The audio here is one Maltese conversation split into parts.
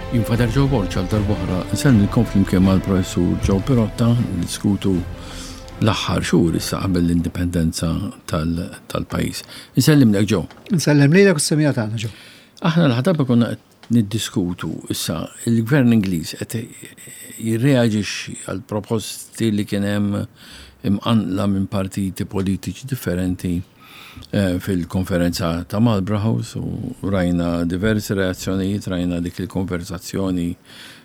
Jien Father Joe Borg għal darb'oħra nsellmilkom flimkien mal-Professur Joe Pirotta niddiskutu l-aħħar xhur issa qabel l-indipendenza tal-pajjiż. Insellimlek Joe. Insellem lilek u s-semija tagħna Joe. Aħna l-aħħar darba konna qed niddiskutu issa il-Gvern Ingliż qed jirreaġixxi għal proposti li kien hemm imqanqla minn partiti politiċi differenti eh, fil-konferenza ta' Marlborough House u rajna diversi reazzjonijiet, rajna dik il-konversazzjoni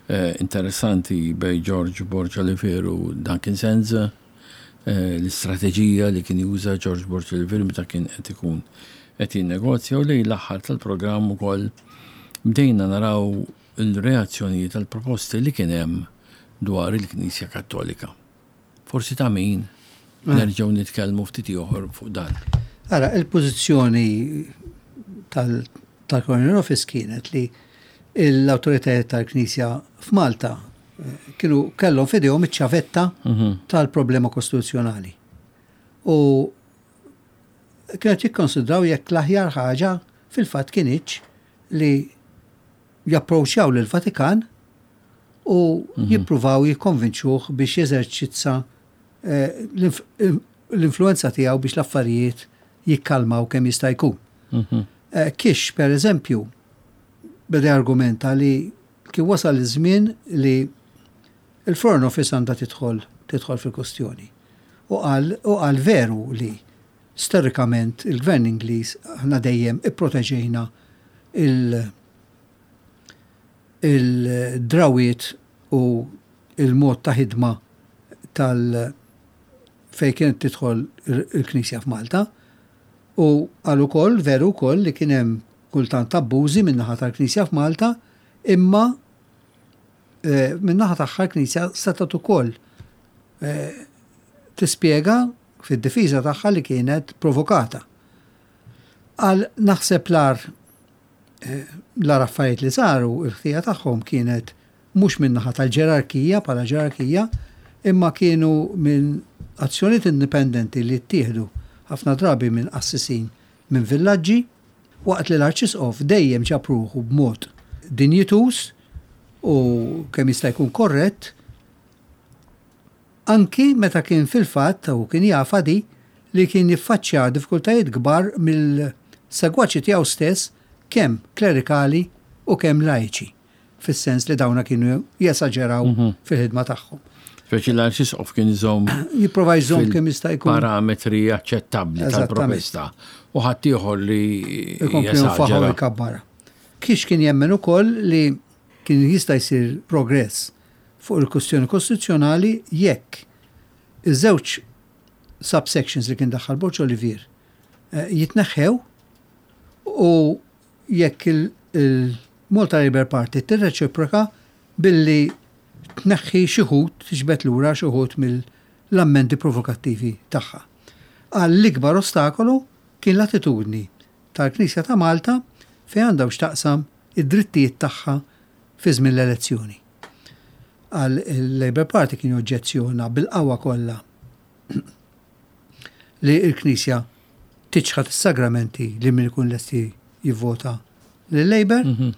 eh, interessanti bej George Borg Olivier u Duncan Sands, eh, l-istrateġija li kien juża George Borg Olivier meta kien qed ikun qed jinnegozja u lejn l-aħħar tal-programm ukoll bdejna naraw il-reazzjonijiet għall-proposti li kien hemm dwar il-Knisja Kattolika. Forsi ta' min nerġgħu nitkellmu ftit ieħor fuq dan. Ara, il-pożizzjoni tal-Colonial Office kienet li l-awtoritajiet tal-Knisja f'Malta eh, kienu kellhom f'idejhom iċ-ċavetta mhm. tal-problema kostituzzjonali. U kienet jikkonsidraw jekk l-aħjar ħaġa fil-fatt kinitx li japproċċjaw lill-Vatikan u mhm. jippruvaw jikkonvinċuh biex jeżerċizza eh, l-influenza tiegħu biex l-affarijiet jikkalmaw kemm jista' jkun. Mhm. Eh, Kix, per eżempju, beda argumenta li kien wasal iż-żmien li il-Foreign Office għandha tidħol tidħol fil-kustjoni. U qal veru li storikament il-Gvern Ingliż aħna dejjem ipproteġejna il- il-drawiet u il-mod ta' ħidma tal fejn kienet tidħol il-Knisja f'Malta. U qal ukoll, veru wkoll, li kien hemm kultant abbużi min-naħa tal-Knisja f'Malta, imma eh, min-naħa tagħha l-Knisja setgħet ukoll eh, tispjega fid-difiża tagħha li kienet provokata. Qal naħseb l-agħar eh, l-agħar affarijiet li saru, il-ħtija tagħhom kienet mhux min-naħa tal-ġerarkija bħala ġerarkija, imma kienu minn azzjonijiet indipendenti li ttieħdu ħafna drabi minn qassisin minn villaġġi, waqt li l-Arċisqof dejjem ġab ruħu b'mod dinjituż u kemm jista' jkun korrett, anki meta kien fil-fatt, u kien jafha di, li kien jiffaċċja diffikultajiet kbar mill-segwaċi tiegħu stess kemm klerikali u kemm lajċi, fis-sens li dawna kienu jesaġeraw mhm. fil-ħidma tagħhom. Speċi l-arċisqof kien iżomm. Jipprova jżomm kemm jista' jkun. Parametri aċċettabbli tal-protesta. U ħaddieħor li jesaġera. Jkabbara. Kiex kien jemmen ukoll li kien jista' jsir progress fuq il-kwistjoni kostituzzjonali jekk iż-żewġ subsections li kien daħħal Borg Olivier eh, jitneħħew u jekk il-Malta Labour Party tirreċiproka billi tneħħi xi wħud, tiġbed lura xi wħud mill-ammendi provokattivi tagħha. Qal l-ikbar ostakolu kien l-attitudni tal-Knisja ta' Malta fejn għandha x'taqsam id-drittijiet tagħha fi żmien l-elezzjoni. Qal il-Labour Party kien joġġezzjona bil-qawwa kollha li l-Knisja tiċħad is-sagramenti li min ikun lesti jivvota lil-Labour, mhm.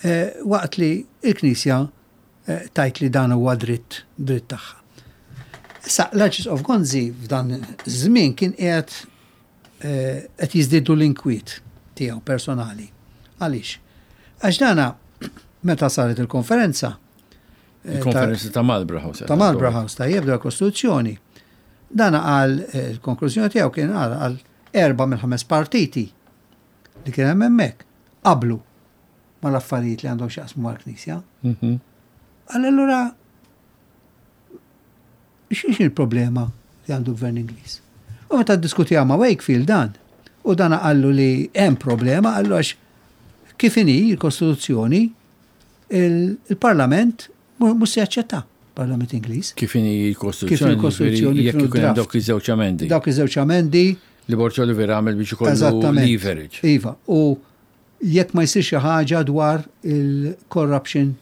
eh, waqt li l-Knisja eh, tajt li dan huwa dritt dritt tagħha. Issa l-Arċisqof Gonzi f'dan żmien kien qiegħed eh, qed jiżdiedu l-inkwiet tiegħu personali. Għaliex? Għax dana meta saret il-konferenza eh, Il-konferenza ta' Marlborough House. Ta' Marlborough House ta' jibda l-Kostituzzjoni. Dana qal eh, il-konklużjoni tiegħu kien qal għal erba' mill-ħames partiti li kien hemm hemmhekk qablu mal-affarijiet li għandhom x'jaqsmu mal-Knisja. Mhm. Għal allura X'inhi l-problema li għandu l-Gvern Ingliż? U meta ddiskutiha ma' Wakefield dan, u dan qallu li hemm problema, qallu għax kif inhi l-Kostituzzjoni, il-Parlament mhux se jaċċetta, Parlament Ingliż. Kif inhi l-Kostituzzjoni? Kif il-Kostituzzjoni jekk ikun hemm dawk iż-żewġ amendi. Dawk iż-żewġ amendi. Li Borg Olivier għamel biex ikollu leverage. Iva, u jekk ma jsirx xi ħaġa dwar il-corruption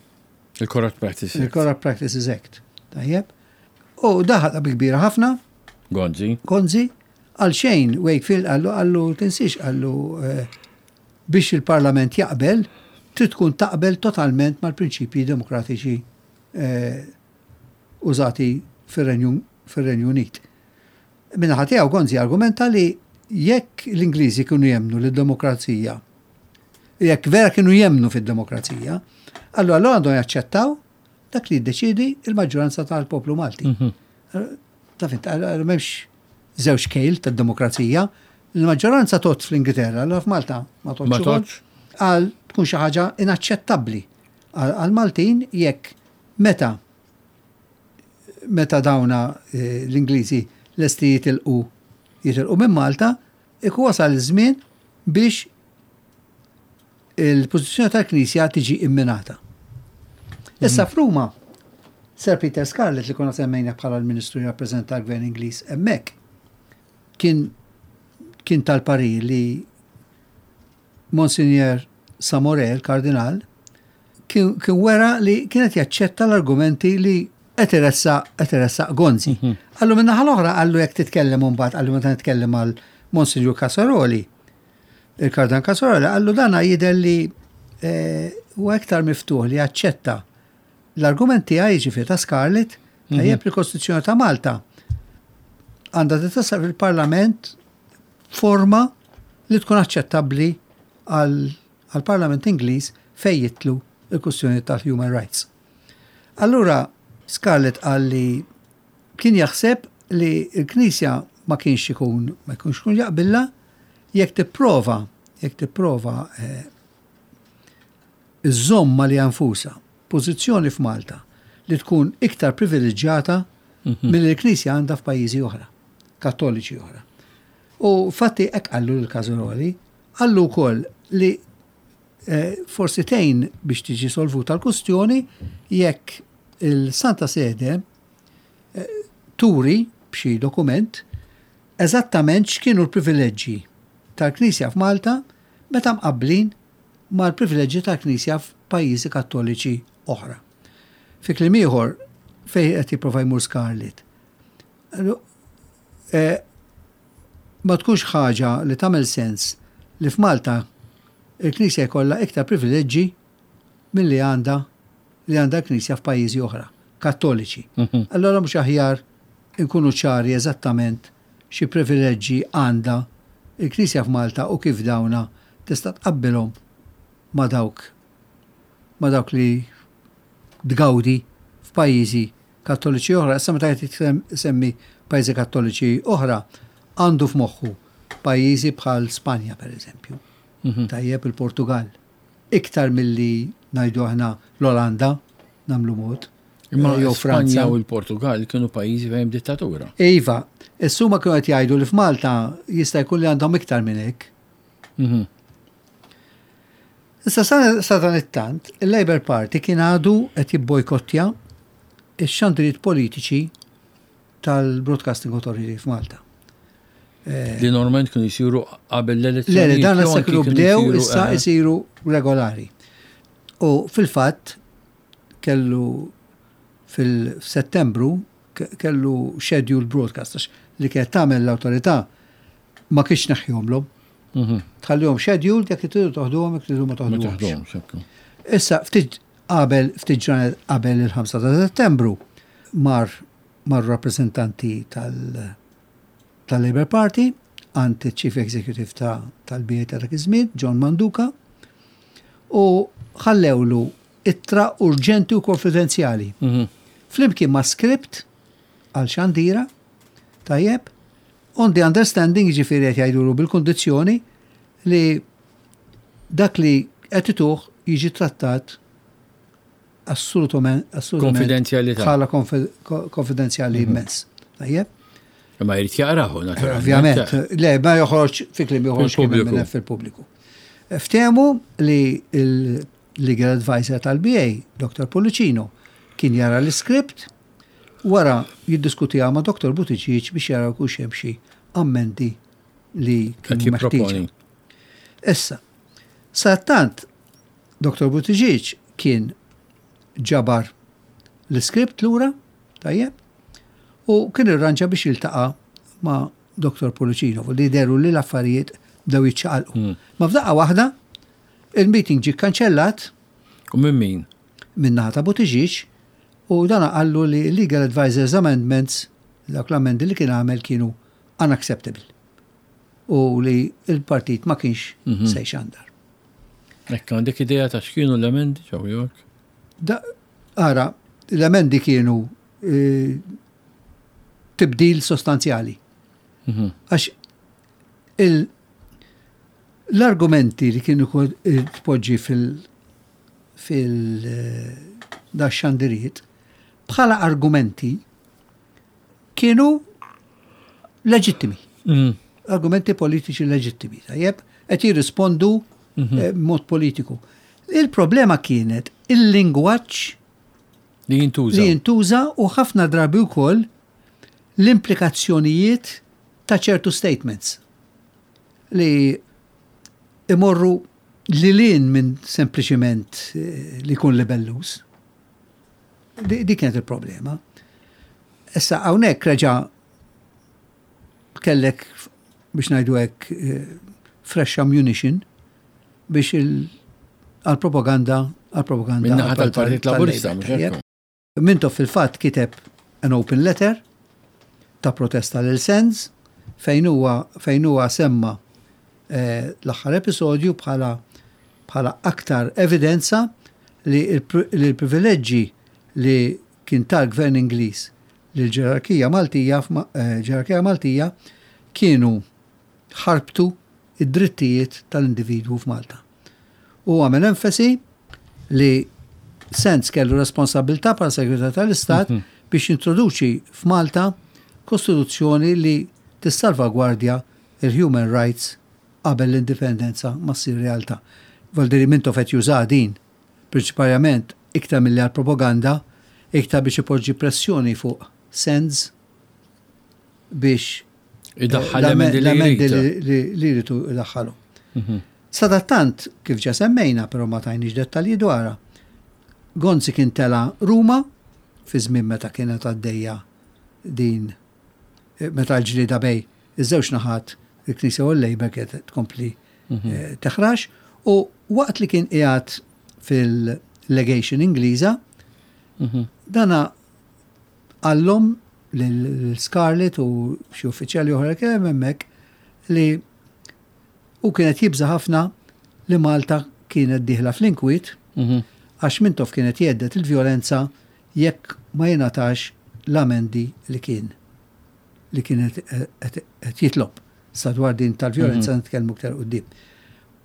Il-Corrupt Practices Act. Il-Corrupt Practices Act. Tajjeb. U daħal bi kbira ħafna. Gonzi. Gonzi. Għal xejn Wakefield għallu għallu tinsiex għallu eh, biex il-Parlament jaqbel. trid tkun taqbel totalment mal-prinċipji demokratiċi użati fir-Renju Unit. Min-naħa tiegħu Gonzi argumenta li jekk l-Ingliżi kienu jemmnu li d-demokrazija, jekk vera kienu jemmnu fid-demokrazija, allura allura għandhom jaċċettaw dak li jiddeċiedi il-maġġoranza tal-poplu Malti. Mhm. Taf int, m'hemmx żewġ kejl tad-demokrazija. Il-maġġoranza tot fl-Ingilterra, allura f'Malta ma totx. Għal tkun xi ħaġa inaċċettabbli għal-Maltin jekk meta meta dawna eh, l-Ingliżi lesti jitilqu jitilqu minn Malta, ikun wasal iż-żmien biex il-pożizzjoni tal-Knisja tiġi imminata. Issa mhm. f'Ruma, Sir Peter Scarlett li konna semmejna bħala l-Ministru jirrappreżenta l-Gvern Ingliż hemmhekk kien kien tal-parir li Monsignor Samore, il-Kardinal, kien wera li kienet jaċċetta l-argumenti li qed iressaq qed iressaq Gonzi. Mhm. Qallu min-naħa l-oħra qallu jekk titkellem imbagħad qallu meta nitkellem għal Monsignor Casaroli. Il-Kardinal Casaroli qallu dana jidher li eh, huwa iktar miftuħ li jaċċetta l-argument tiegħi jiġifieri ta' Scarlett mhm. tajjeb li Kostituzzjoni ta' Malta għandha titasal fil-Parlament forma li tkun aċċettabbli għall-Parlament Ingliż fejn jidħlu l-kwistjoni tal-human rights. Allura Scarlett qal li kien jaħseb li l-Knisja ma kienx ikun ma jkunx ikun jaqbilha jekk tipprova jekk tipprova eh, iżżomm għaliha nfusha pożizzjoni f'Malta li tkun iktar privileġġjata mhm. milli l-Knisja għandha f'pajjiżi oħra, Kattoliċi oħra. U fatti hekk qallu lil Casaroli, qallu wkoll li eh, forsi tgħin biex tiġi solvuta l-kustjoni jekk il-Santa Sede eh, turi b'xi dokument eżattament x'kienu l-privileġġi tal-Knisja f'Malta meta mqabblin mal-privileġġi tal-Knisja f'pajjiżi Kattoliċi oħra. Fi kliem ieħor, fejn qed jipprova jmur Scarlett. Eh, ma tkunx ħaġa li tagħmel sens li f'Malta il-Knisja jkollha iktar privileġġi milli għandha li għandha l-Knisja f'pajjiżi oħra, Kattoliċi. Mhm. Allora mhux aħjar inkunu ċari eżattament xi privileġġi għandha il-Knisja f'Malta u kif dawna tista' tqabbilhom ma' dawk ma' dawk li tgawdi f'pajjiżi Kattoliċi oħra. Issa meta qed isemmi pajjiżi Kattoliċi oħra, għandu f'moħħu pajjiżi bħal Spanja pereżempju. Mhm. Tajjeb il-Portugal. Iktar milli ngħidu aħna l-Olanda nagħmlu mod. Imma jew Franza u l-Portugal kienu pajjiżi fejn dittatura. Iva, issuma kienu qed jgħidu li f'Malta jista' jkun li għandhom iktar minn hekk. Mhm. Issa sa dan it-tant, il-Labour Party kien għadu qed jibbojkottja x-xandiriet politiċi tal-Broadcasting Authority f'Malta. Eh, li normalment kienu jisiru qabel l-elezzjoni. Le, le, dan issa kienu bdew issa eh. jisiru regolari. U fil-fatt kellu fil-Settembru kellu scheduled broadcast li kienet tagħmel l-awtorità ma kienx neħħihomlhom. Mhm. Tħallihom scheduled jekk tridu toħduhom jekk tridu ma toħduhomx. Issa ftit qabel ftit ġranet qabel il-5 ta' Settembru mar mar rappreżentanti tal tal-Labour Party għand il-Chief Executive tal-BA ta' dak iż-żmien, John Manduca, u ħallewlu ittra urġenti u konfidenzjali. Mhm. Flimkien ma' script għal xandira, tajjeb, On the understanding, jiġifieri qed jgħidulu bil-kundizzjoni li dak li qed ituh jiġi trattat assolutament Konfidenzjalità. Bħala konfidenzjali mhm. immens. Tajjeb? Ma jrid jaqrahu, naturalment. Ovvjament, le, ma joħroġ fi kliem joħroġ fil-pubbliku. Ftehmu li il-legal advisor tal-BA, Dr. Pullicino, kien jara l-iskript Wara jiddiskutiha ma' Dottor Buttigieg biex jaraw jkunx hemm xi ammendi li kienu meħtieġa. Issa, sadattant Dottor Buttigieg kien ġabar l-iskript lura, tajjeb, u kien irranġa biex jiltaqa' ma' Dottor Pullicino, li dehru li l-affarijiet bdew jiċċaqalqu. Hmm. Ma f'daqqa waħda, il-meeting ġie kkanċellat. U minn min? Min-naħa ta' Buttigieg u dan qallu li Legal Advisors Amendments, dawk l-amendi li kien għamel kienu unacceptable u li l-partit ma kienx mhm. se jxandar. Ekk, għandek idea ta' x'kienu l-emendi ġew York? Ara, l-emendi kienu eh, tibdil sostanzjali. Mhm. Għax l-argumenti li kienu tpoġġi fil- fil da xandiriet bħala argumenti kienu leġittimi. Mm. Argumenti politiċi leġittimi, tajjeb, qed jirrispondu mm -hmm. mod politiku. Il-problema kienet il-lingwaġġ li jintuża. Li jintuża u ħafna drabi wkoll l-implikazzjonijiet ta' ċertu statements li imorru lil hinn minn sempliċiment eh, li jkun libelluż. Dik kienet il-problema. Issa hawnhekk reġa' kellek biex ngħidu hekk eh, fresh ammunition biex għal-propaganda għal-propaganda. Minnaħa tal-Partit Laburista, mhux Mintoff fil-fatt kiteb an open letter ta' protesta lil Sands fejn huwa fejn huwa semma eh, l-aħħar episodju bħala bħala aktar evidenza li l-privileġġi li kien tal-gvern Ingliż lil ġerarkija Maltija eh, ġerarkija Maltija kienu ħarbtu id-drittijiet tal-individwu f'Malta. Hu għamel enfasi li Sands kellu responsabbiltà bħala Segretarju tal-Istat mhm. biex jintroduċi f'Malta kostituzzjoni li tissalvagwardja il-human rights qabel l-indipendenza ma ssir realtà. Valdiri Mintoff qed juża din prinċipalment iktar milli għal propaganda, iktar biex ipoġġi pressjoni fuq Sands biex Idaħħal l-emendi li jridu idaħħalu. Mhm. Sadattant, kif ġa semmejna, però ma tajniex dettalji dwarha, Gonzi kien tela' Ruma fi żmien meta kienet għaddejja din eh, meta l-ġlieda bej iż-żewġ naħat il-Knisja u l-Labour kienet tkompli mhm. eh, teħrax u waqt li kien qiegħed fil-legation Ingliża, mhm. dana qallhom lil Scarlett u xi uffiċjali oħra li kien hemm hemmhekk li hu kien qed jibża' ħafna li Malta kienet dieħla fl-inkwiet mhm. għax Mintoff kien qed jgħedded il-vjolenza jekk ma jingħatax l-amendi li kien li kien qed jitlob. Sa dwar din tal-vjolenza mhm. nitkellmu iktar quddiem.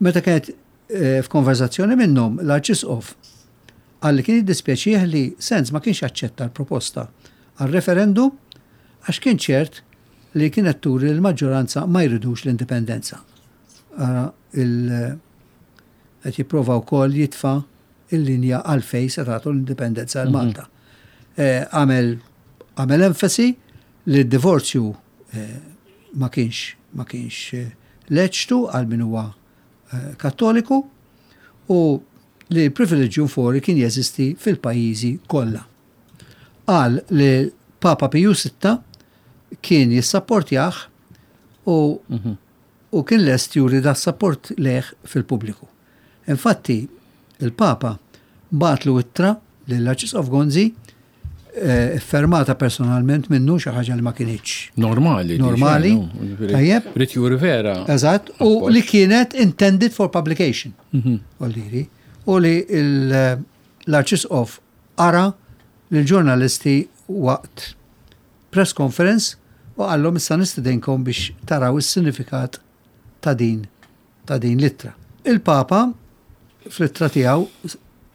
Meta kienet eh, f'konverzazzjoni minnhom l-Arċisqof Qal li kien jiddispjaċih li Sands ma kienx aċċetta l-proposta għal referendum għax kien ċert li kienet turi li l-maġġoranza ma jridux l-indipendenza. Ara il qed jipprova wkoll jitfa' il-linja għalfejn se tagħtu l-indipendenza għal Malta. Eh, għamel għamel enfasi li d-divorzju eh, ma kienx ma kienx eh, leċtu għal min huwa Kattoliku u li l-privilegium fori kien jeżisti fil-pajjiżi kollha. Qal li Papa Piju Sitta kien jissapportjah u mhm. u kien lest juri da sapport lejh fil-pubbliku. Infatti, il-Papa bagħatlu ittra lill-Arċisqof Gonzi eh, fermata personalment minnu xi ħaġa li ma kinitx. Normali. Normali. Tajjeb. Rid juri vera. Eżatt, u li kienet intended for publication. Mhm. Olliri. U li l-Arċisqof ara l-ġurnalisti waqt press conference u qallhom issa nistedinkom biex taraw is-sinifikat ta' din ta' din l-ittra. Il-Papa fl-ittra tiegħu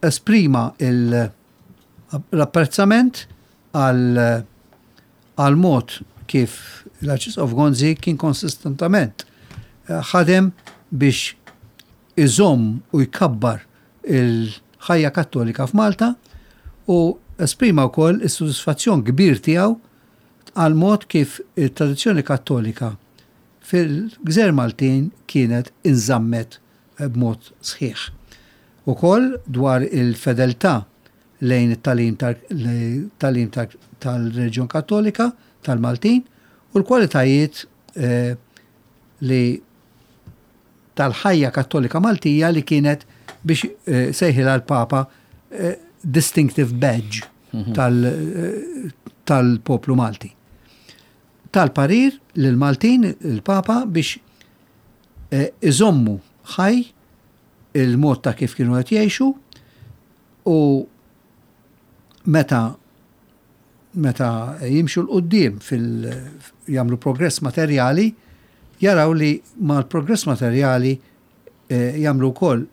esprima il- l-apprezzament għal mod kif l-Arċisqof Gonzi kien konsistentament eh, ħadem biex iżomm u jkabbar il-ħajja kattolika f'Malta u esprima wkoll is-sodisfazzjon kbir tiegħu għal mod kif it-tradizzjoni kattolika fil-Gżejjer Maltin kienet inżammet b'mod sħiħ. Ukoll dwar il-fedeltà lejn it-tagħlim tagħlim tal-reliġjon Kattolika tal-Maltin u l-kwalitajiet eh, li tal-ħajja Kattolika Maltija li kienet biex eh, sejħilha l-Papa distinctive badge tal-poplu Malti. Tal-parir lill-Maltin, il-Papa, biex iżommu ħaj il-mod ta' kif kienu qed jgħixu u meta meta jimxu 'l quddiem fil jagħmlu progress materjali, jaraw li mal-progress materjali jagħmlu wkoll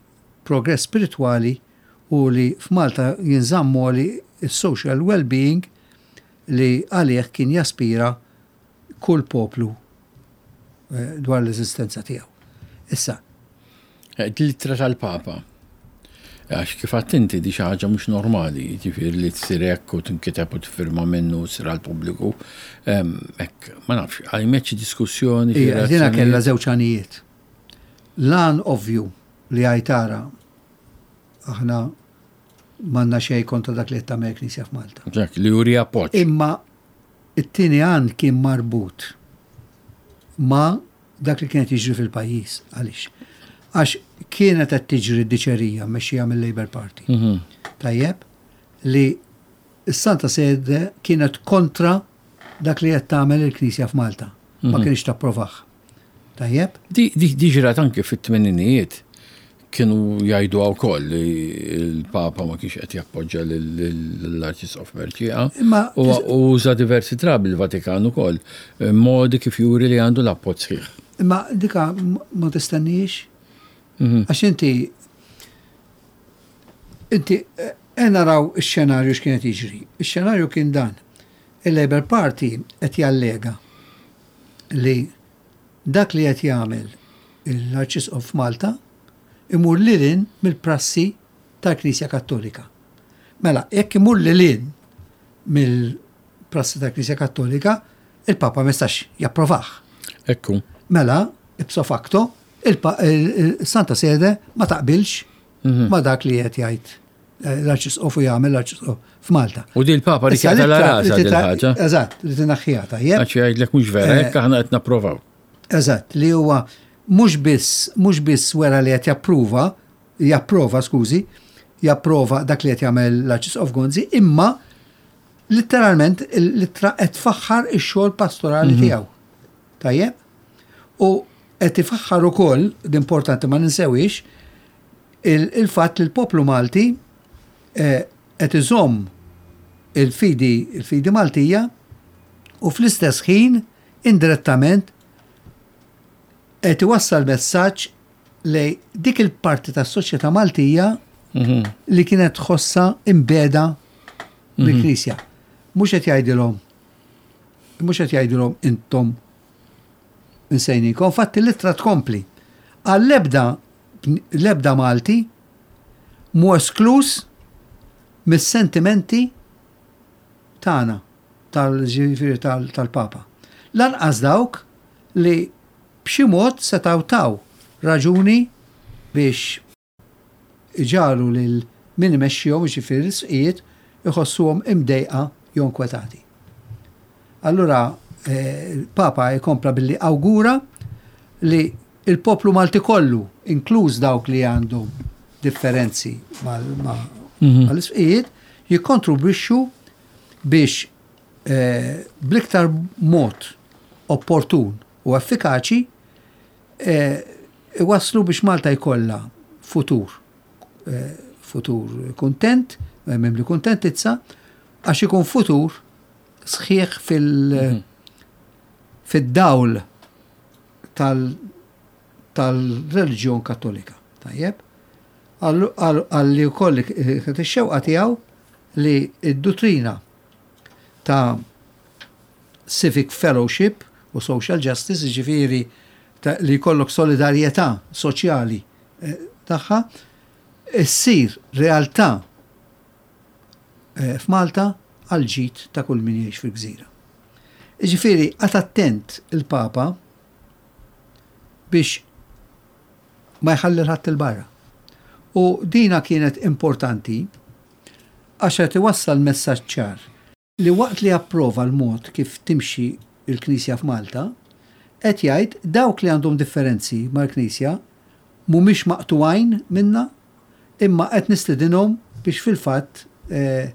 progress spiritwali u li f'Malta jinżamm għoli s-social well-being li għalih kien jaspira kull poplu dwar l-eżistenza tiegħu. Issa. L-ittra tal-Papa. Għax kif għedt inti di xi ħaġa mhux normali, jiġifieri li tsir hekk u tinkiteb u tiffirma minnu u tsir għall-pubbliku. Hekk, ma nafx, qajmet xi diskussjoni, xi Ija, dina kellha żewġ għanijiet. L-għan ovvju li għid ara aħna m'għandna xejn kontra dak li qed tagħmel il-Knisja f'Malta. Dak li juri appoġġ. Imma it-tieni għan kien marbut ma' dak li kien qed jiġri fil-pajjiż. Għaliex? Għax kienet qed tiġri diċerija mmexxija mill-Labour Party. Tajjeb, li s-Santa Sede kienet kontra dak li qed tagħmel il-Knisja f'Malta. Ma kienx tapprovah. Tajjeb? Di ġrat anke fit-tmeninijiet kienu jgħidu wkoll li l-Papa ma kienx qed jappoġġa l-Arċisqof Mercieca. Imma U uża diversi drabi l-Vatikan ukoll modi kif juri li għandu l-appoġġ sħiħ. Imma dika ma tistennix? Għax inti inti eh, naraw ix-xenarju x'kien qed jiġri. Ix-xenarju kien dan. Il-Labour Party qed jallega li dak li qed jagħmel l-Arċisqof f'Malta imur lil hinn mill-prassi tal-Knisja Kattolika. Mela, jekk imur lil hinn mill-prassi tal-Knisja Kattolika, il-Papa ma jistax japprovah. Ekku. Mela, ipso facto, il-Santa Sede ma taqbilx ma dak li qed jgħid l-Arċisqof u jagħmel l-Arċisqof f'Malta. U di l-Papa li Issa kjata la l-ittra rasa li din tita- ħaġa. Eżatt, li tinaħħiha tajjeb. Għax jgħidlek mhux vera, hekk aħna qed napprovaw. Eżatt, li huwa mhux biss mhux biss wera li qed jappruva, japprova, skużi, japprova dak li qed jagħmel l-Arċisqof Gonzi, imma letteralment l-ittra qed tfaħħar ix-xogħol pastorali tiegħu. Tajjeb? U qed ifaħħar ukoll, l-importanti ma ninsewix, il-fatt li l-poplu Malti qed iżomm il-fidi il-fidi Maltija u fl-istess ħin indirettament qed iwassal messaġġ lej dik il-parti tas-soċjetà Maltija li kienet tħossha imbeda mill-Knisja. Mhux qed jgħidilhom mhux qed jgħidilhom intom insejnikom. Infatti l-ittra tkompli. Għall-ebda l-ebda Malti mhu eskluż mis-sentimenti tagħna tal-ġifieri tal-Papa. Lanqas dawk li b'xi mod setgħu taw raġuni biex iġagħlu lil min imexxihom, jiġifieri l-isqfijiet, iħossuhom imdejqa jew inkwetati. Allura il-Papa jkompla billi awgura li il-poplu Malti kollu, inkluż dawk li għandhom differenzi mal-isqfijiet, jikkontribwixxu biex bl-iktar mod opportun u effikaċi iwasslu biex Malta jkollha futur futur kuntent, mimli kuntentizza, għax ikun futur sħiħ fil- fid-dawl tal-reliġjon Kattolika. Tajjeb? Għalli wkoll kienet ix-xewqa tiegħu li d-duttrina ta' civic fellowship u social justice, ġifieri li jkollok solidarjetà soċjali tagħha, issir realtà f'Malta għal ġid ta' kull min jgħix fil-gżira. Ġifieri, qagħad attent il-Papa biex ma jħalli ħadd il-barra. U dina kienet importanti għax qed iwassal messaġġ ċar li waqt li approva l-mod kif timxi il-Knisja f'Malta, qed jgħid dawk li għandhom differenzi mal-Knisja mhumiex maqtugħin minna, imma qed nistedinhom biex fil-fatt eh,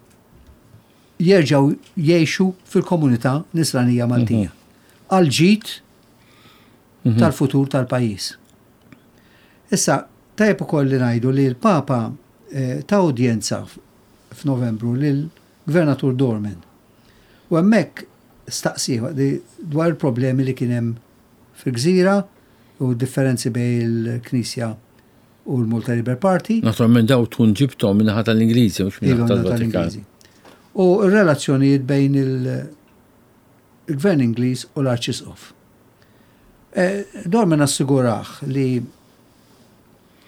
jerġgħu jgħixu fil-komunità nisranija Maltija. Għal ġid tal-futur tal-pajjiż. Issa, tajjeb ukoll li ngħidu li l-Papa eh, ta udjenza f'Novembru lill-Gvernatur Dorman. U hemmhekk staqsih dwar il-problemi li kien hemm fil-gżira u differenzi bejn il-Knisja u l-Malta Labour Party. Naturalment daw tkun ġibthom min-naħa tal-Ingliżi mhux min-naħa tal-Vatikan. U r-relazzjonijiet bejn il-Gvern Ingliż u l-Arċisqof. Eh, Dorman assigurah li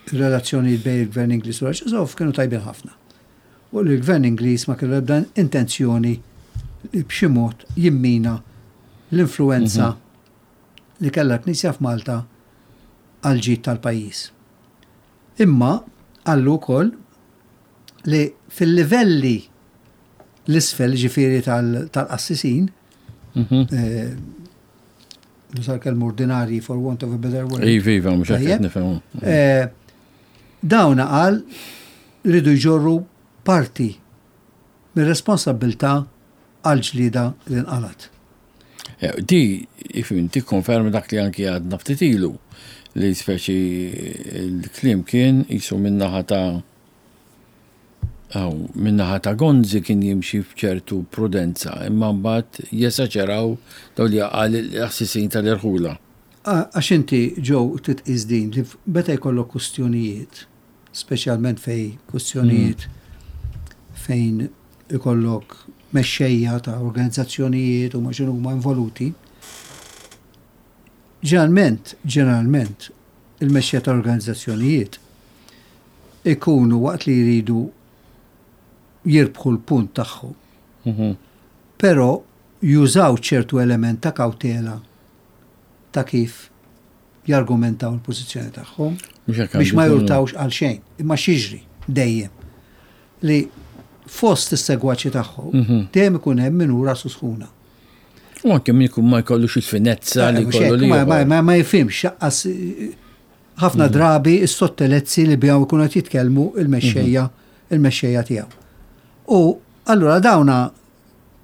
r-relazzjonijiet bejn il-Gvern Ingliż u l-Arċisqof kienu tajbin ħafna. U li l-Gvern Ingliż ma kellu ebda intenzjoni li b'xi mod jimmina l-influenza mhm. li kellha l-Knisja f'Malta għall-ġid tal-pajjiż. Imma qallu wkoll li fil-livelli l-isfel ġifieri tal-qassisin, mhm. eh, nużar kelma ordinarji for want of a better word. Iva, iva, mhux qed nifhem. Eh, dawna qal ridu jġorru parti mir-responsabbiltà għall-ġlieda li nqalgħet. Eh, di, ifim, tikkonferma dak li anki għadna ftit ilu li speċi l-kliem kien jisu minnaħa ta' Aw, minnaħa ta' Gonzi kien jimxi f'ċertu prudenza, imma mbagħad jesaġeraw daw li qal l-assisin tal-irħula. Għax inti Joe trid tqis din li meta jkollok kustjonijiet, speċjalment fejn kustjonijiet fejn ikollok mexxejja ta' organizzazzjonijiet u ma x'inhuma involuti, ġeneralment, ġeneralment, il-mexxejja ta' organizzazzjonijiet ikunu waqt li jridu jirbħu l-punt tagħhom. Mhm. Però jużaw ċertu element ta' kawtela ta' kif jargumentaw il-pożizzjoni tagħhom biex ma jurtawx għal xejn, imma xiġri dejjem li fost is-segwaċi tagħhom mhm. dejjem ikun hemm min hu rasu sħuna. U anke min ikun ma jkollux il-finezza li eh, jkollu li. Ma jifhimx xaqqas eh, ħafna mhm. drabi s-sottelezzi li bihom ikunu qed jitkellmu il-mexxejja mhm. il-mexxejja tiegħu. U allura dawna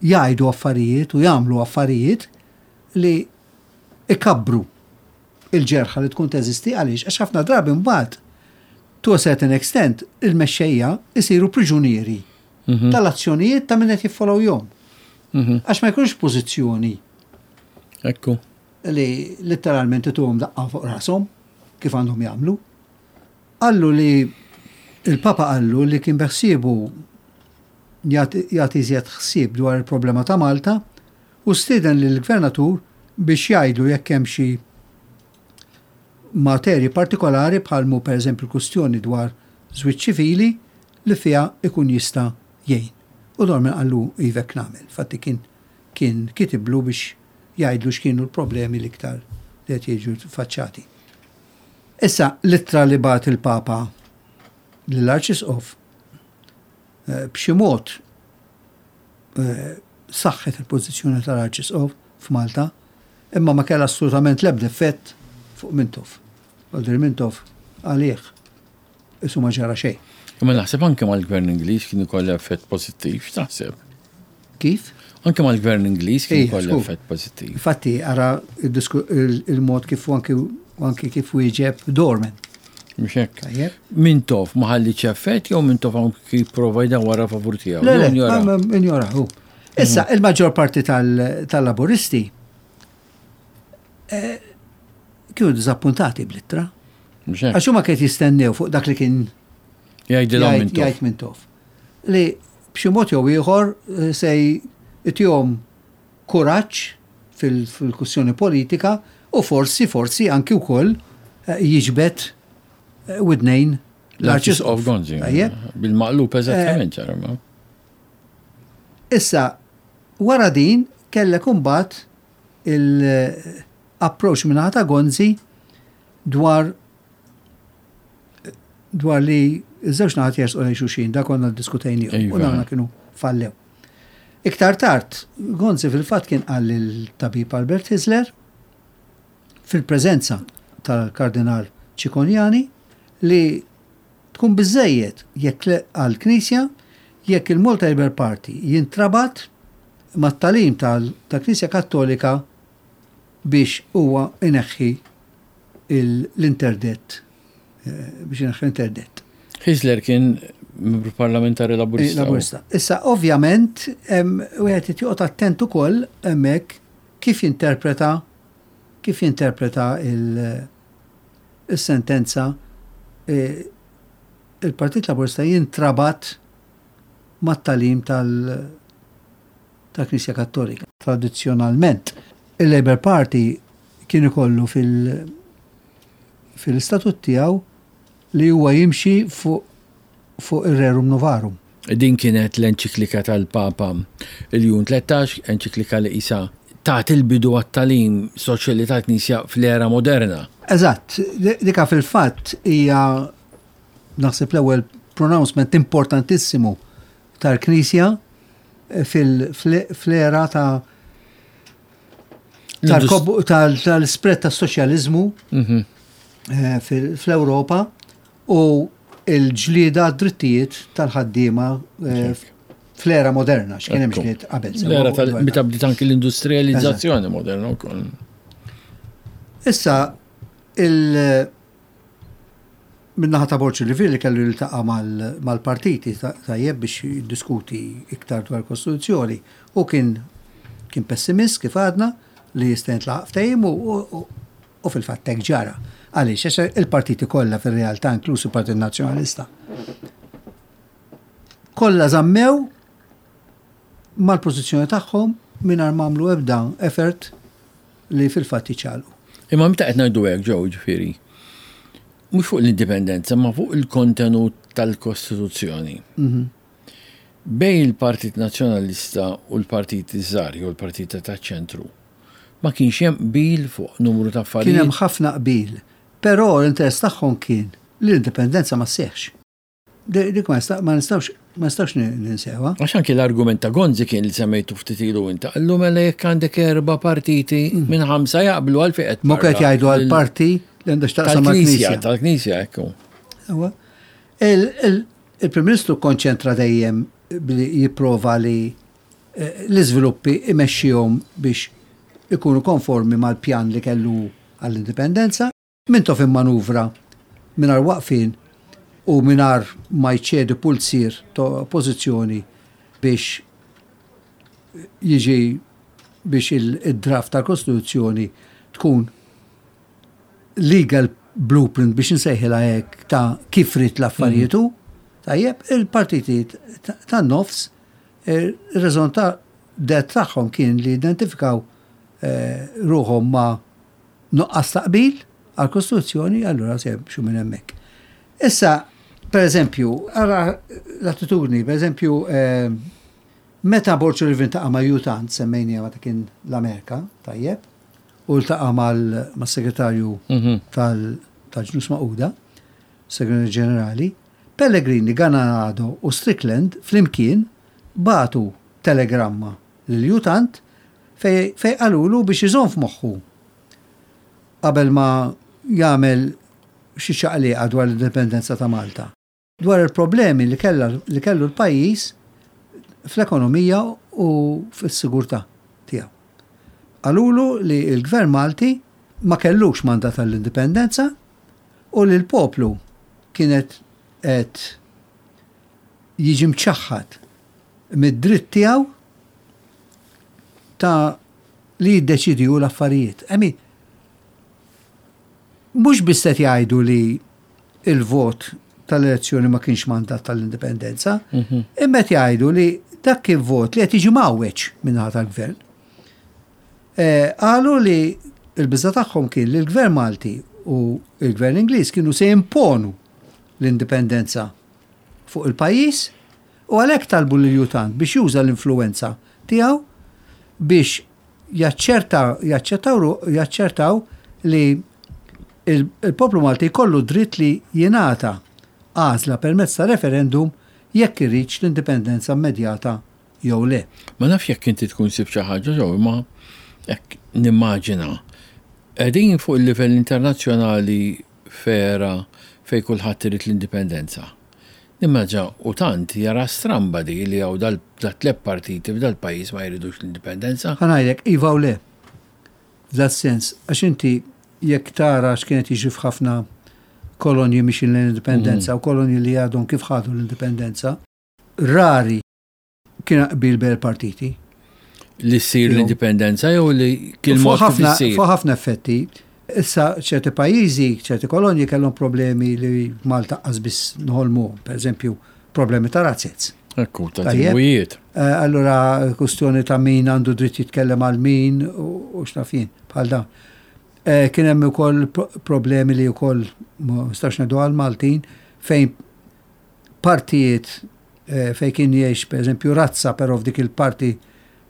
jgħidu affarijiet u jagħmlu affarijiet li ikabbru il-ġerħa li tkun teżisti għaliex għax ħafna drabi mbagħad to a certain extent il-mexxejja isiru priġunieri mhm. tal-azzjonijiet ta' min qed jiffollowjhom. Mhm. Għax ma jkunux pożizzjoni. Ekku. Li letteralment ituhom daqqa fuq rashom kif għandhom jagħmlu. Qallu li il-Papa qallu li kien beħsiebu jagħti iżjed ħsieb dwar il-problema ta' Malta u stieden lill-Gvernatur biex jgħidlu jekk hemm xi materji partikolari bħal mhu pereżempju l-kwistjoni dwar żwieġ ċivili li fiha jkun jista' jgħin. U Dorman qallu iva hekk nagħmel. Infatti kien kien kitiblu biex jgħidlu x'kienu l-problemi l-iktar li qed jiġu faċċati. Issa l-ittra li bagħat il-Papa lill-Arċisqof eh, b'xi mod eh, saħħet il-pożizzjoni tal-Arċisqof f'Malta, imma ma kellha assolutament l-ebda effett fuq Mintoff. Walter Mintoff għalih isu ma ġara xejn. Imma naħseb anke mal-Gvern Ingliż kien ikollha effett pożittiv, x'taħseb? Kif? Anke mal-Gvern Ingliż kien ikollha effett pożittiv. Infatti ara il-mod kif anki kif wieġeb Dorman. Mhux hekk. Mintoff ma ħallietx effett jew Mintoff anki jipprova jdawwarha favur tiegħu? Le, le, injora hu. Issa, mhm. il-maġġor parti tal-laburisti eh, kienu diżappuntati bl-ittra. Għax huma kiet jistennew fuq dak li kien jgħid Mintoff. Li b'xi mod jew ieħor eh, se jtihom kuraġġ fil-kwistjoni politika u forsi, forsi anki wkoll eh, jiġbed eh, widnejn l-Arċisqof Gonzi. Bil-maqlub eżattament ġara. Issa, wara din kellek imbagħad il-approach minn ta' Gonzi dwar dwar li ż-żewġ naħat jersqu lejn xulxin, da konna ddiskutejniehom u iva. dawna kienu fallew. Iktar tard, Gonzi fil-fatt kien qal lil-tabib Albert Hyzler fil-preżenza tal-Kardinal Cicognani li Tkun biżżejjed jekk għall-Knisja jekk il-Malta Labour Party jintrabat mat-tagħlim tal-Knisja Kattolika biex huwa jneħħi l-interdett biex jneħħi l-interdett. Hyzler kien membru parlamentari Laburista. Laburista. Issa ovvjament wieħed irid joqgħod attent ukoll hemmhekk kif jinterpreta kif jinterpreta il-sentenza il-Partit Laburista jintrabat mat-tagħlim tal-Knisja Kattolika. Tradizzjonalment, il-Labour Party kien ikollu fil-istatut tiegħu li huwa jimxi fuq fuq ir-Rerum Novarum. Din kienet l-enċiklika tal-Papa Ljun 13, enċiklika li qisha tat il-bidu għat-tagħlim soċjali tal-Knisja fl-era moderna. Eżatt, dika fil-fatt hija naħseb l-ewwel pronouncement importantissimu tal-Knisja fl-era ta' tal-spread tas-soċjaliżmu mhm. eh, fl-Ewropa u l-ġlieda għad-drittijiet tal-ħaddiema eh, fl-era moderna, x'kien hemm ġlied qabel. L-era tal-meta bdiet anki l-industrializzazzjoni moderna wkoll. Issa il Min-naħa ta' Borg Olivier li kellu jiltaqa' mal-partiti tajjeb biex jiddiskuti iktar dwar il-Kostituzzjoni, hu kien kien pessimist kif għadna li jista' jintlaħaq ftehim u fil-fatt hekk ġara. Għaliex? Għax il-partiti kollha fir-realtà inkluż il-Partit Nazzjonalista kollha żammew mal-pożizzjoni tagħhom mingħajr ma għamlu ebda effort li fil-fatt jiċċaqalqu. Imma meta qed ngħidu hekk ġew ġifieri, mhux fuq l-indipendenza, ma fuq il-kontenut tal-Kostituzzjoni. Mhm. Bejn il-Partit Nazzjonalista u l-partiti żgħar jew l-partiti taċ-ċentru, ma kienx hemm qbil fuq numru ta' affarijiet. Kien hemm ħafna qbil, però l-interess tagħhom kien li l-indipendenza ma sseħħx. Dik ma nistgħux ma nistgħux ninsewha. Għax anki l-argument ta' Gonzi kien li semmejtu ftit ilu inta, qallu mela jekk għandek erba' partiti mm. minn ħamsa jaqblu għal fejn qed. Mhux qed jgħidu għal parti li għandha x'taqsam mal-Knisja. Tal-Knisja, ekku. Il-Prim Ministru konċentra dejjem billi jipprova li eh, l-iżviluppi imexxihom biex ikunu konformi mal-pjan li kellu għall-indipendenza. Mintoff immanuvra mingħajr waqfien u mingħajr ma jċedi pulzier ta' oppożizzjoni biex jiġi biex id-draft tal-Kostituzzjoni tkun legal blueprint biex insejħilha hekk ta' kif ried l-affarijiet hu. Tajjeb, il-partiti tan-nofs ir-raison d'être tagħhom kien li jidentifikaw ruħhom ma' nuqqas ta' qbil għall-Kostituzzjoni, allura se jimxu minn hemmhekk. Issa, per eżempju, ara l-attitudni, per eżempju, eh, meta Borg Sullivan taqa' ma' U Thant, semmejniha meta kien l-Amerika, tajjeb, u ltaqa' mas-segretarju mhm. tal-Ġnus Magħquda, segretarju ġenerali, Pellegrini, Ganado u Strickland flimkien bagħtu telegramma lil U Thant fejn qalulu biex iżomm f'moħħu qabel ma jagħmel xi ċaqliqa dwar l-indipendenza ta' Malta, dwar il-problemi li kellha li kellu l-pajjiż fl-ekonomija u fis-sigurtà tiegħu. Qalulu li l-Gvern Malti ma kellux mandat għall-indipendenza u li l-poplu kienet qed jiġi mċaħħad mid-dritt tiegħu ta' li jiddeċiedi hu l-affarijiet. I mean, mhux biss qed jgħidu li il-vot tal-elezzjoni ma kienx mandat tal-indipendenza, mhm. imma qed jgħidu li dak kien vot li qed jiġi mgħawweġ minnaħa tal-gvern. Eh, qalu li il-biża tagħhom kien li l-gvern Malti u l-gvern Ingliż kienu se jimponu l-indipendenza fuq il-pajjiż u għalhekk talbu lil U Thant biex juża l-influwenza tiegħu biex jaċċerta jaċċertaw jaċċertaw li l-poplu Malti jkollu d-dritt li jingħata għażla permezz ta' referendum jekk iridx l-indipendenza immedjata jew le. Ma nafx jekk inti tkun sibt xi ħaġa ġew imma hekk nimmaġina. Qegħdin fuq il-livell internazzjonali f'era fejn kulħadd irid l-indipendenza. Nimmaġina u tant jara stramba di li hawn dal-tlet partiti f'dal-pajjiż ma jridux l-indipendenza. Ħa ngħidlek, iva u le. F'das-sens, għax inti jekk tara x'kien qed jiġri f'ħafna kolonji mixin lejn l-indipendenza u kolonji li għadhom kif ħadu l-indipendenza, rari kien qbil bejn il-partiti. Li ssir l-indipendenza jew li kien mod kif issir? Fuq ħafna effetti. Issa ċerti pajjiżi, ċerti kolonji kellhom problemi li Malta qas biss nħolmuhom, pereżempju problemi ta' razzez. Ekku, ta' tribujiet. Eh, allura kustjoni ta' min għandu dritt jitkellem għal min u x'naf jien, bħal dan. Eh, kien hemm ukoll problemi li wkoll ma nistax ngħidu għal Maltin fejn partijiet eh, fejn kien jgħix pereżempju razza però f'dik il-parti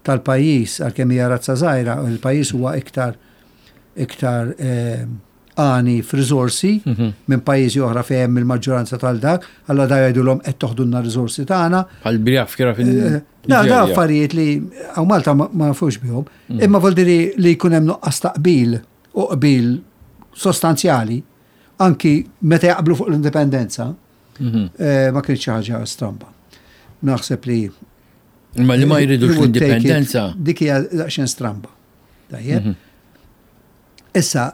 tal-pajjiż għalkemm hija razza żgħira, il-pajjiż huwa iktar iktar eh, għani f'riżorsi mhm. minn pajjiżi oħra fejn hemm il-maġġoranza tal-dak, allura da jgħidulhom qed toħdulna riżorsi tagħna. Bħal Biafra fil eh, Da, da affarijiet li hawn Malta ma nafux bihom. Mm. Imma voldiri li jkun hemm nuqqas ta' qbil u qbil sostanzjali anki meta jaqblu fuq l-indipendenza, mhm. eh, ma kienx xi ħaġa stramba. Naħseb li Imma li ma jridux l-indipendenza. Dik hija daqsxejn stramba. Tajjeb. Mhm. Issa,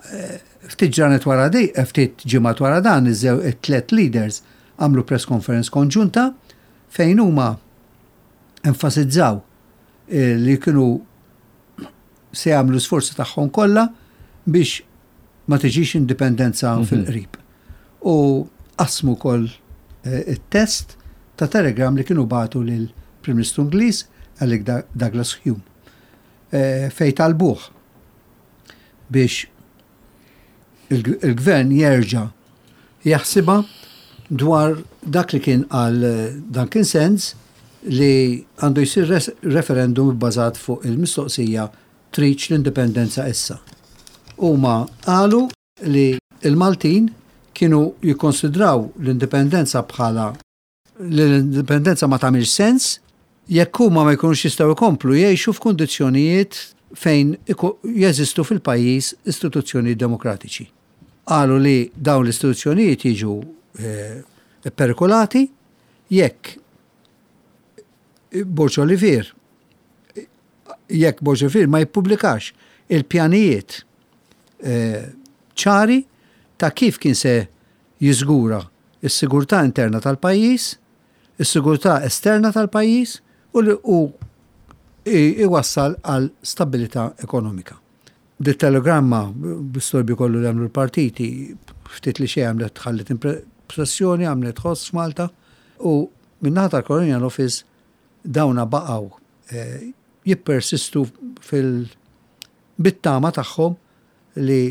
ftit ġranet wara di, ftit ġimgħat wara dan, iż-żew it-tlet leaders għamlu press conference konġunta fejn huma enfasizzaw eh, li kienu se jagħmlu sforzi tagħhom kollha biex ma tiġix indipendenza mhm. fil-qrib. U qasmu wkoll eh, it-test ta' telegram li kienu bagħtu lil Prim Ministru Ingliż Alec Douglas Home eh, fejn talbuh biex il-gvern jerġa' jaħsibha dwar dak li kien qal Duncan Sands li għandu jsir referendum ibbażat fuq il-mistoqsija tridx l-indipendenza issa. Huma qalu li l-Maltin kienu jikkonsidraw l-indipendenza bħala li l-indipendenza ma tagħmilx sens jekk huma ma jkunux jistgħu jkomplu jgħixu f'kundizzjonijiet fejn jeżistu fil-pajjiż istituzzjonijiet demokratiċi. Qalu li dawn l-istituzzjonijiet jiġu eh, pperikolati jekk Borg Olivier jekk Borg Olivier ma jippubblikax il-pjanijiet eh, ċari ta' kif kien se jiżgura s-sigurtà interna tal-pajjiż, is-sigurtà esterna tal-pajjiż u li u iwassal għal stabbilità ekonomika. Dit-telegramma, bl-istorbju kollu li għamlu l-partiti, ftit li xejn għamlet ħalliet impressjoni, għamlet ħoss f'Malta u min-naħa tal-Colonial Office dawna baqgħu eh, jippersistu fil bit-tama tagħhom li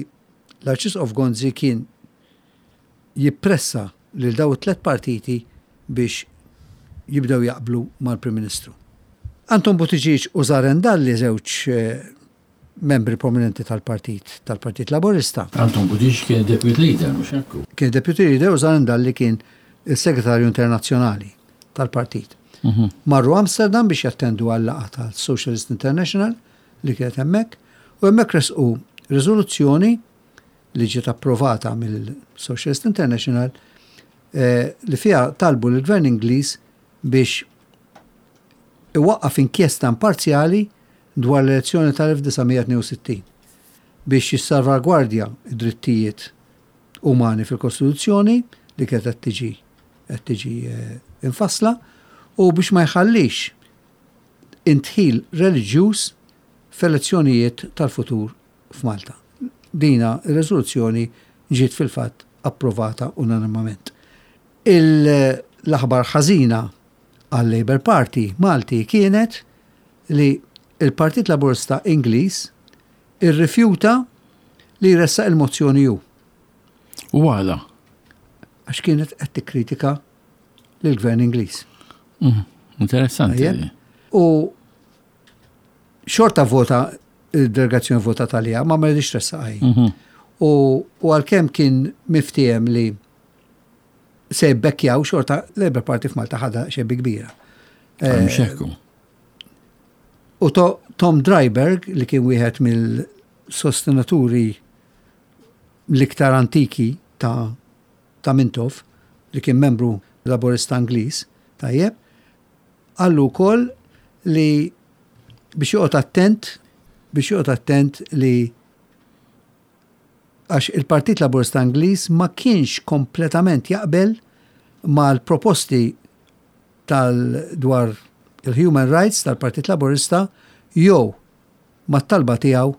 l-Arċisqof Gonzi kien jippressa lil dawn it-tlett partiti biex jibdew jaqblu mal-Prim Ministru. Anton Buttigieg u Zaren Dalli żewġ membri prominenti tal-partit tal-Partit Laburista. Anton Buttigieg kien id-Deputy Leader, mhux hekk? Kien Deputy Leader u Zaren Dalli kien is-Segretarju Internazzjonali tal-partit. Mhm. Marru Amsterdam biex jattendu għal-laqgħa tal-Socialist International li kienet hemmhekk u hemmhekk resqu riżoluzzjoni li ġiet approvata mill-Socialist International eh, li fiha talbu lill-Gvern Ingliż biex iwaqqaf inkjesta imparzjali dwar l-elezzjoni tal-1962 biex jissalvagwardja d-drittijiet umani fil-Kostituzzjoni li kienet qed tiġi qed tiġi eh, infassla u biex ma jħallix indħil reliġjuż f'elezzjonijiet tal-futur f'Malta. Dina r-reżoluzzjoni ġiet fil-fatt approvata unanimament. L-aħbar ħażina għal-Labour Party Malti kienet li l-Partit Laburista Ingliż irrifjuta li jressaq il-mozzjoni hu. U għala? Għax kienet qed tikkritika lill-Gvern Ingliż. Mm, interessanti. U xorta vota il-delegazzjoni vota talija, ma ma rridx tressaqaj. Mhm. U għalkemm kien miftiem li se jibbekkjaw xorta Labour Party f'Malta ħadha xebbi kbira. Eh, Xekku. U Tom Dryberg li kien wieħed mill-sostenaturi l-iktar antiki ta' ta' Mintoff, li kien membru Laburista Ingliż, tajjeb, qallu wkoll li biex joqgħod attent, biex joqgħod attent li għax il-Partit Laburista Ingliż ma kienx kompletament jaqbel mal-proposti tal dwar il-human rights tal-Partit Laburista jew mat-talba tiegħu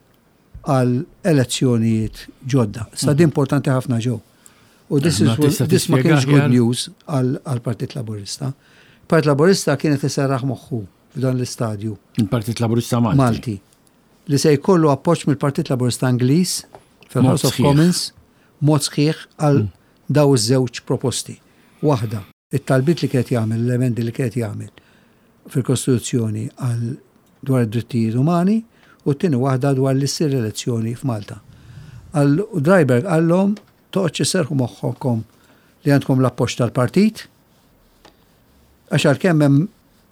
għal elezzjonijiet ġodda. Sa din importanti ħafna ġew. U this, is, this ma kienx good news għal-Partit Laburista. Partit Laburista kienet iserraħ moħħu f'dan l-istadju. Il-Partit Laburista Malti. Malti. Li se jkollu appoġġ mill-Partit Laburista Ingliż fil-House of Commons mod sħiħ għal mm. daw iż-żewġ proposti. Waħda It-talbiet li kien qed jagħmel, l-emendi li kien qed jagħmel fil-Kostituzzjoni għal dwar id-drittijiet umani u t-tieni waħda dwar li ssir elezzjoni f'Malta. Għal Dreiberg qallhom toqgħodx isserrħu moħħokom li għandkom l-appoġġ tal-partit għax għalkemm hemm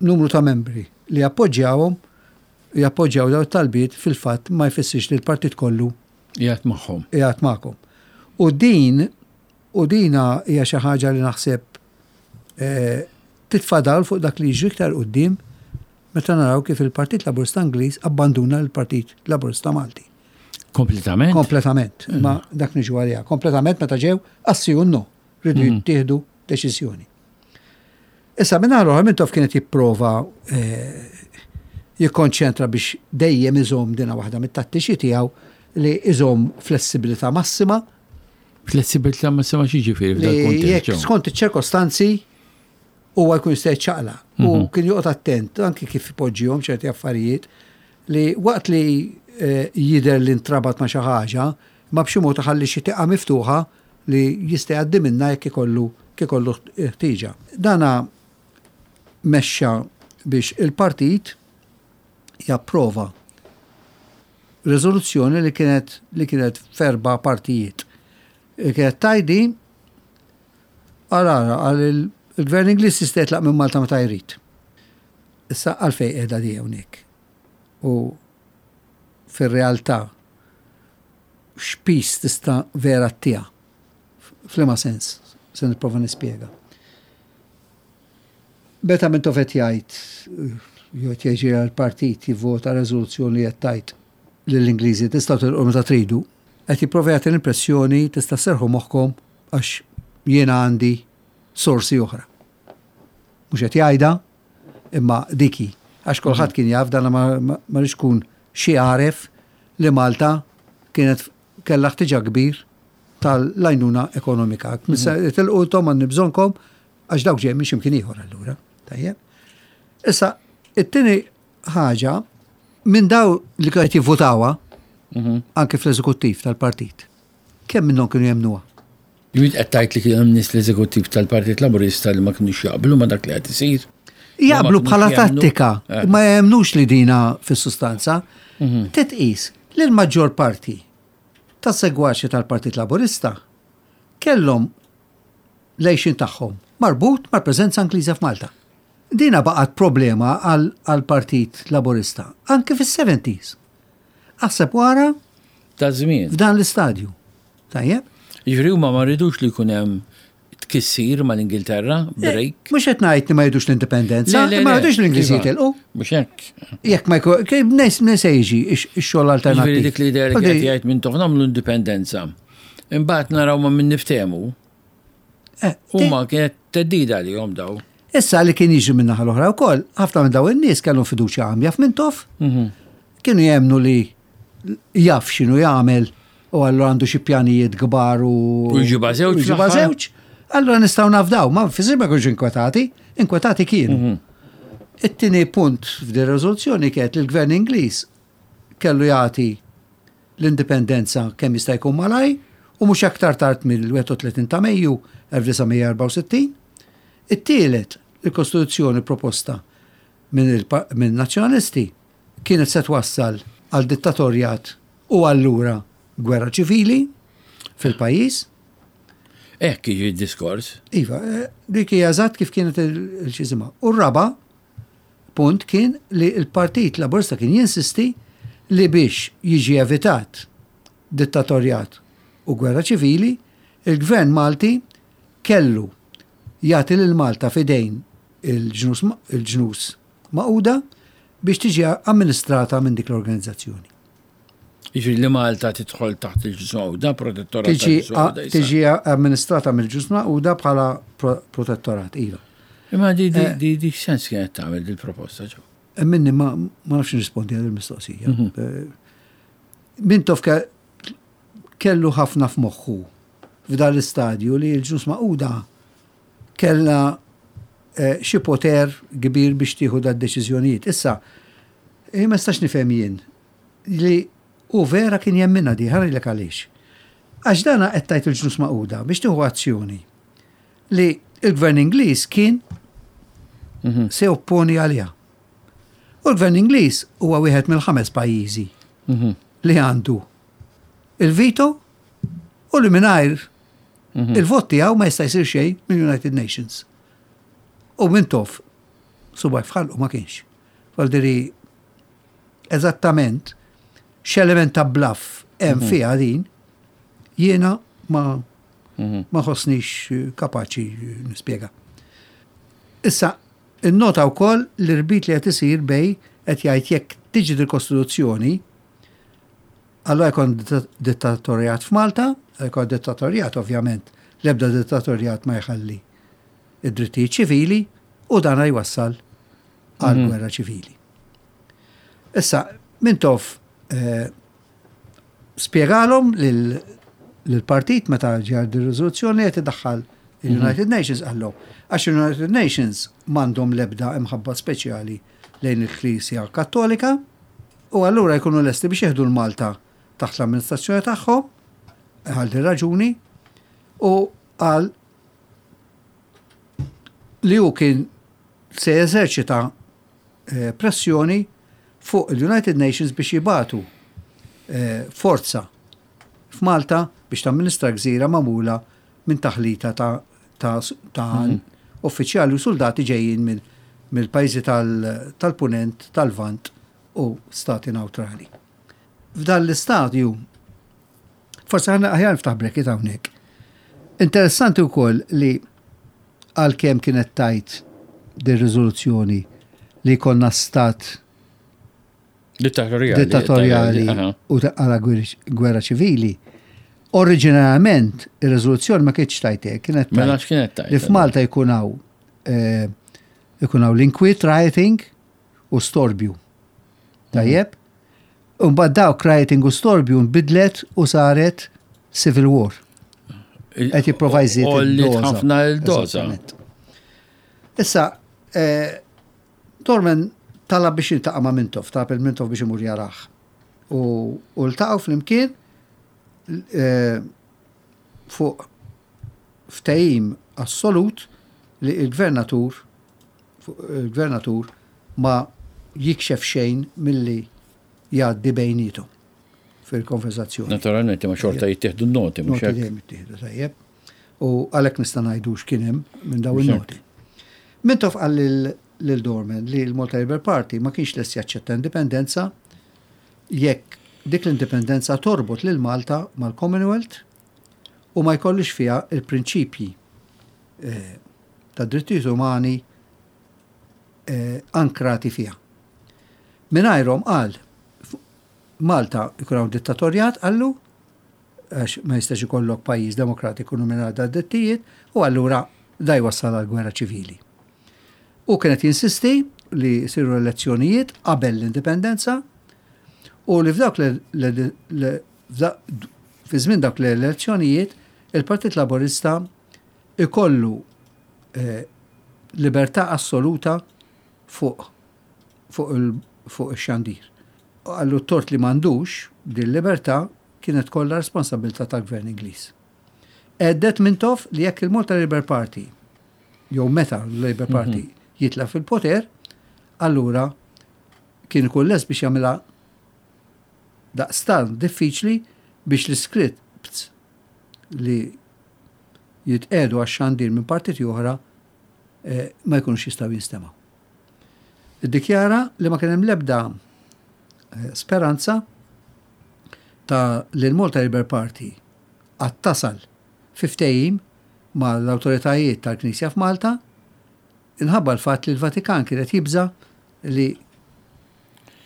numru ta' membri li jappoġġjawhom jappoġġjaw dawn it-talbiet fil-fatt ma jfissirx li l-partit kollu qiegħed magħhom. Qiegħed magħkom. U din U dina hija xi ħaġa li naħseb titfa' dawl fuq dak li jiġri iktar quddiem meta naraw kif il-Partit Laburista Ingliż abbanduna l-Partit Laburista Malti. Kompletament? Kompletament, mm. ma dak niġu għaliha. Kompletament meta ġew għas-si u no, rridu mm. jittieħdu deċiżjoni. Issa minn oħra Mintoff kienet jipprova eh, jikkonċentra biex dejjem iżomm dina waħda mit-tattiċi tiegħu li iżomm flessibilità massima Flessibilità massima x'jiġifieri f'dan il-kuntest? Jekk skont iċ-ċirkostanzi huwa jkun jista' jiċċaqlaq. U mhm. kien joqgħod attent anki kif ipoġġihom ċerti affarijiet li waqt li eh, jidher li ntrabat ma' xi ħaġa, ma b'xi mod iħalli xi tieqa miftuħa li jista' jgħaddi minnha jekk ikollu ikollu ħtieġa. Dana mexxa biex il-partit japprova riżoluzzjoni li kienet li kienet f'erba' partijiet. Li kienet tajdi għal ara għal il-gvern Ingliż jista' jitlaq minn Malta meta jrid. Issa għalfejn qiegħda di hawnhekk. U fir-realtà x'piż tista' vera ttiha. F'liema sens se nipprova nispjega. Meta Mintoff qed jgħid, jew qed jgħid għall-partit jivvota reżoluzzjoni li qed tgħid lill-Ingliżi tistgħu tilqu meta tridu, qed jipprova jagħti l-impressjoni tista' sserrħu moħħkom għax jiena għandi sorsi oħra. Mhux qed jgħidha, imma dik hi. Għax kulħadd kien jaf dan ma rridx tkun xi għaref li Malta kienet kellha ħtiġa kbir tal-għajnuna ekonomika. Tilqu intom għandi bżonnkom Għax dawk ġej minn x'imkien ieħor allura. Tajjeb. Issa, it-tieni ħaġa, minn daw li qed jivvutawha, mhm. anke fl-eżekuttiv tal-partit, kemm minnhom kienu jemnuha? Jrid qed tgħid li kien hemm nies l-eżekuttiv tal-Partit Laburista li ma kinux jaqblu ma dak li qed isir. Jaqblu bħala tattika, eh. ma jemnux li dina fis-sustanza. Mhm. Titqis li l-maġġor parti tas-segwaċi tal-Partit Laburista kellhom l-għixien tagħhom marbut mal-preżenza Ingliża f'Malta. Dina baqgħet problema għall-Partit Laburista anke fis-seventies. Aħseb wara Ta' żmien. F'dan l-istadju. Tajjeb? Jiġifieri huma ma ridux li jkun hemm tkissir mal-Ingilterra, eh, break. Mhux qed ngħid li ma jridux l-indipendenza, ma jridux l-Ingliżi iva. jitilqu. Mhux hekk. Jekk ma jkun minn se jiġi x-xogħol alternattiv. Jiġifieri dik l-idea li qed jgħid minn toħ nagħmlu indipendenza. Imbagħad naraw ma min niftehmu. Eh, Huma kienet teddida li jom daw. Issa li kien jiġri minn naħa l-oħra wkoll, ħafna minn daw in-nies kellhom fiduċja għamja f'Mintoff, mhm. kienu jemnu li jaf x'inhu jagħmel u allura għandu xi pjanijiet kbar u. U jġiba żewġ. Jġiba żewġ. Allura nistgħu nafdaw, ma fisir ma kienx inkwetati, inkwetati kienu. Mhm. It-tieni punt f'di riżoluzzjoni kienet li l-gvern Ingliż kellu jagħti l-indipendenza kemm jista' jkun malajr u mhux aktar tard mill-31 ta' Mejju 1964. It-tielet, il-Kostituzzjoni proposta min-Nazzjonalisti kienet se twassal għal dittatorjat u allura gwerra ċivili fil-pajjiż. Hekk jiġi d-diskors. Iva, eh, dik hija eżatt kif kienet il-xiżima. U r-raba' punt kien li l-Partit Laburista kien jinsisti li biex jiġi evitat dittatorjat u gwerra ċivili, il-Gvern Malti kellu jagħti lil Malta f'idejn il-ġnus il-ġnus magħquda biex tiġi amministrata minn dik l-organizzazzjoni. Jiġifieri li Malta tidħol taħt il-Ġnus Magħquda, protettorat tal-Ġnus Magħquda. Tiġi amministrata mill-Ġnus Magħquda bħala protettorat, iva. Imma di di di di x'sens kienet tagħmel dil-proposta ġo? Minni ma nafx nirrispondi għal il-mistoqsija. Mintoff kellu ħafna f'moħħu f'dan l-istadju li l-Ġnus Magħquda kellha xi poter kbir biex tieħu dad-deċiżjonijiet. Issa, ma nistax nifhem jien li hu vera kien jemminha di, ħa ngħidlek għaliex. Għax dana qed tgħid il-Ġnus Magħquda biex tieħu azzjoni li l-Gvern Ingliż kien se jopponi għaliha. U l-Gvern Ingliż huwa wieħed mill-ħames pajjiżi li għandu il-veto u li mingħajr il-vot tiegħu ma jista' jsir xejn mill-United Nations. U Mintoff subgħajh f'ħalqu ma kienx. Valdiri eżattament x'element ta' bluff hemm fiha din, jiena ma ma ħossnix kapaċi nispjega. Issa, innota wkoll l-irbit li qed isir bej qed jgħid jekk tiġi dil-Kostituzzjoni, allura jkun dittatorjat f'Malta, jkun dittatorjat ovvjament, l-ebda dittatorjat ma jħalli id-drittijiet ċivili u dan jwassal għal gwerra ċivili. Issa, Mintoff spjegalhom lill-partit meta ġie dir-riżoluzzjoni qed idaħħal il-United Nations qallhom għax il-United Nations m'għandhom l-ebda imħabba speċjali lejn il-Knisja Kattolika u allura jkunu lesti biex jieħdu l-Malta taħt l-amministrazzjoni tagħhom għal din raġuni u qal li hu kien se jeżerċita pressjoni fuq il-United Nations biex jibagħtu forza f'Malta biex tamministra gżira magħmula minn taħlita ta' ta' ta' uffiċjali u suldati ġejjin mill-pajjiżi tal-Punent, tal-Lvant u stati newtrali. F'dan l-istadju, forsi aħjar niftaħ bracket hawnhekk. Interessanti wkoll li għalkemm kienet tajt din riżoluzzjoni li jkollna stat dittatorjali, dittatorjali u għala gwerra ċivili, oriġinarjament ir-riżoluzzjoni ma kienx tajt hekk, kienet mela x'kienet tajt? Li f'Malta jkun hawn eh, ikun hawn l-inkwiet rioting u storbju. Tajjeb? Imbagħad dawk rioting u storbju nbidlet u saret civil war. Qed jipprova jżid il-doża. ħafna il-doża. Issa, eh, Dorman talab biex jiltaqa' ma' Mintoff, talab il-Mintoff biex imur jarah. U ltaqgħu flimkien eh, fuq ftehim assolut li il-gvernatur il-gvernatur ma jikxef xejn milli jgħaddi bejniethom fil-konversazzjoni. Naturalment, ma xorta jittieħdu n-noti, mhux hekk? Noti dejjem jittieħdu, tajjeb. U għalhekk nista' ngħidu x'kien hemm minn dawn in-noti. Mintoff qal lil Dorman li l-Malta Labour Party ma kienx lest jaċċetta indipendenza jekk dik l-indipendenza torbot lil Malta mal-Commonwealth u ma jkollix fiha il-prinċipji eh, ta' drittijiet umani eh, ankrati fiha. Mingħajrhom qal Malta jkun hawn dittatorjat qallu għax ma jistax ikollok pajjiż demokratiku mingħajr da drittijiet u allura da jwassal għal gwerra ċivili. U kienet jinsisti li jsiru elezzjonijiet qabel l-indipendenza u li f'dawk fi żmien dawk l-elezzjonijiet il-Partit Laburista ikollu eh, libertà assoluta fuq fuq fuq ix-xandir. Qallu t-tort li m'għandux din libertà kienet kollha responsabilità tal-Gvern Ingliż. Għeddet Mintoff li jekk il-Malta Labour Party jew meta l-Labour Party mhm. jitla fil-poter, allura kien ikun lest biex jagħmilha daqstant diffiċli biex l-iscripts li jitqiegħdu għax-xandir minn partiti oħra eh, ma jkunux jistgħu jinstemgħu. Iddikjara li ma kien hemm l-ebda eh, speranza ta' li l-Malta Labour Party għad tasal fi ftehim mal-awtoritajiet tal-Knisja f'Malta inħabba l-fatt li l-Vatikan kien qed jibża' li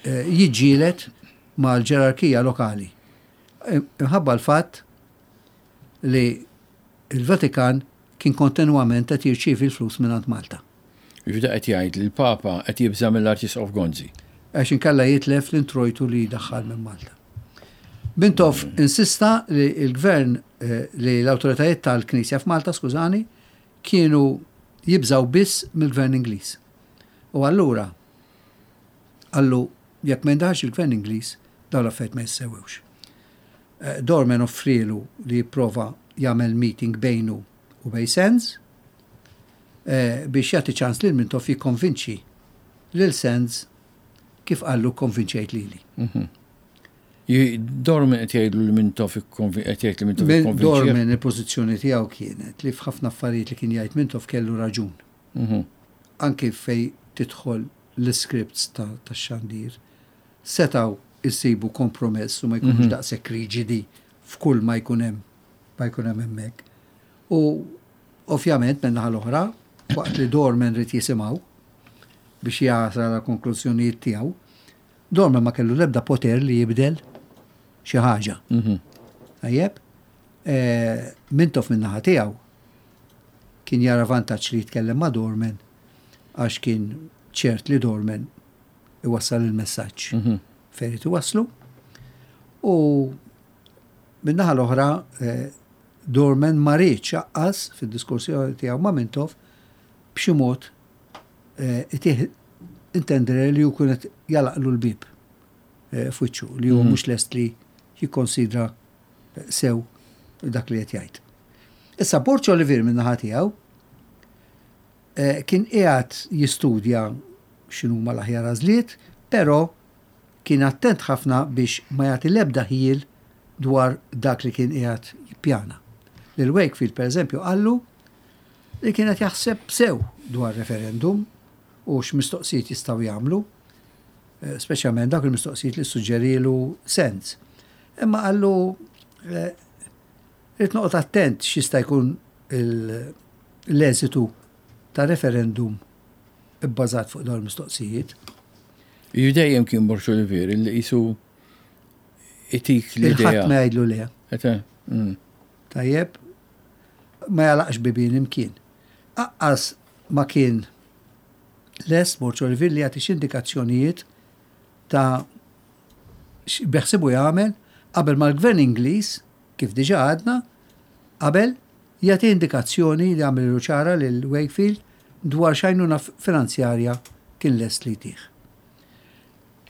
jiġġieled mal-ġerarkija lokali. Imħabba l-fatt li l-Vatikan kien kontinwament qed jirċievi l-flus mingħand Malta. Jiġifieri qed jgħid li l-Papa qed jibża' mill-Arċisqof Gonzi. Għax inkella jitlef l-introjtu li jdaħħal minn Malta. Mintoff insista li l-Gvern, li l-awtoritajiet tal-Knisja f'Malta, skużani, kienu jibżgħu biss mill-Gvern Ingliż. U allura qallu jekk ma jindaħalx il-Gvern Ingliż dawn l-affarijiet ma jissewwewx. Dorman offrielu li jipprova jagħmel meeting bejnu u bejn Sands biex jagħti ċans lil Mintoff jikkonvinċi lil Sands kif qallu kkonvinċejt lili. Dorman qed jgħidlu li Mintoff qed jgħid li Mintoff ikkonvinċih. Dorman il-pożizzjoni tiegħu kienet li f'ħafna affarijiet li kien jgħid Mintoff kellu raġun. Anki fejn tidħol l-iscripts tax-xandir setgħu jsibu kompromess u ma jkunux daqshekk riġidi f'kull ma jkun hemm ma jkun hemm hemmhekk. U ovvjament min-naħa l-oħra, waqt li Dorman ried jisimgħu biex jasal għall-konklużjonijiet tiegħu, Dorman ma kellu l-ebda poter li jibdel xi ħaġa. Tajjeb? Mintoff min-naħa tiegħu kien jara vantaġġ li jitkellem ma' Dorman għax kien ċert li Dorman iwassal il-messaġġ fejn irid iwasslu. U min-naħa l-oħra Dorman ma riedx aqqas fid-diskursjoni tiegħu ma' Mintoff b'xi mod itih intendere li hu kien qed jagħlaqlu l-bieb f'wiċċu, li hu mhux lest li jikkonsidra sew dak li qed jgħid. Issa Borg Olivier min-naħa tiegħu kien qiegħed jistudja x'inhuma l-aħjar għażliet, però kien attent ħafna biex ma jagħti l-ebda ħjiel dwar dak li kien qiegħed jippjana. Lil Wakefield pereżempju qallu li kien qed jaħseb sew dwar referendum u x'mistoqsijiet jistgħu jagħmlu, speċjalment dawk il-mistoqsijiet li ssuġġerielu Sands. Imma qallu rrid noqgħod attent x'jista' jkun l-eżitu ta' referendum ibbażat fuq dawn il-mistoqsijiet. Ju dejjem kien Borg Olivier li qisu itik l-idea. Il-ħadd ma jgħidlu le. Tajjeb, ma jagħlaqx bibien imkien. Aqqas ma kien lest Borg Olivier li jagħti xi indikazzjonijiet ta' x'beħsibu jagħmel qabel ma l-Gvern Ingliż, kif diġà għadna, qabel jagħti indikazzjoni li għamlilu ċara lil Wakefield dwar x'għajnuna finanzjarja kien lest li jtih.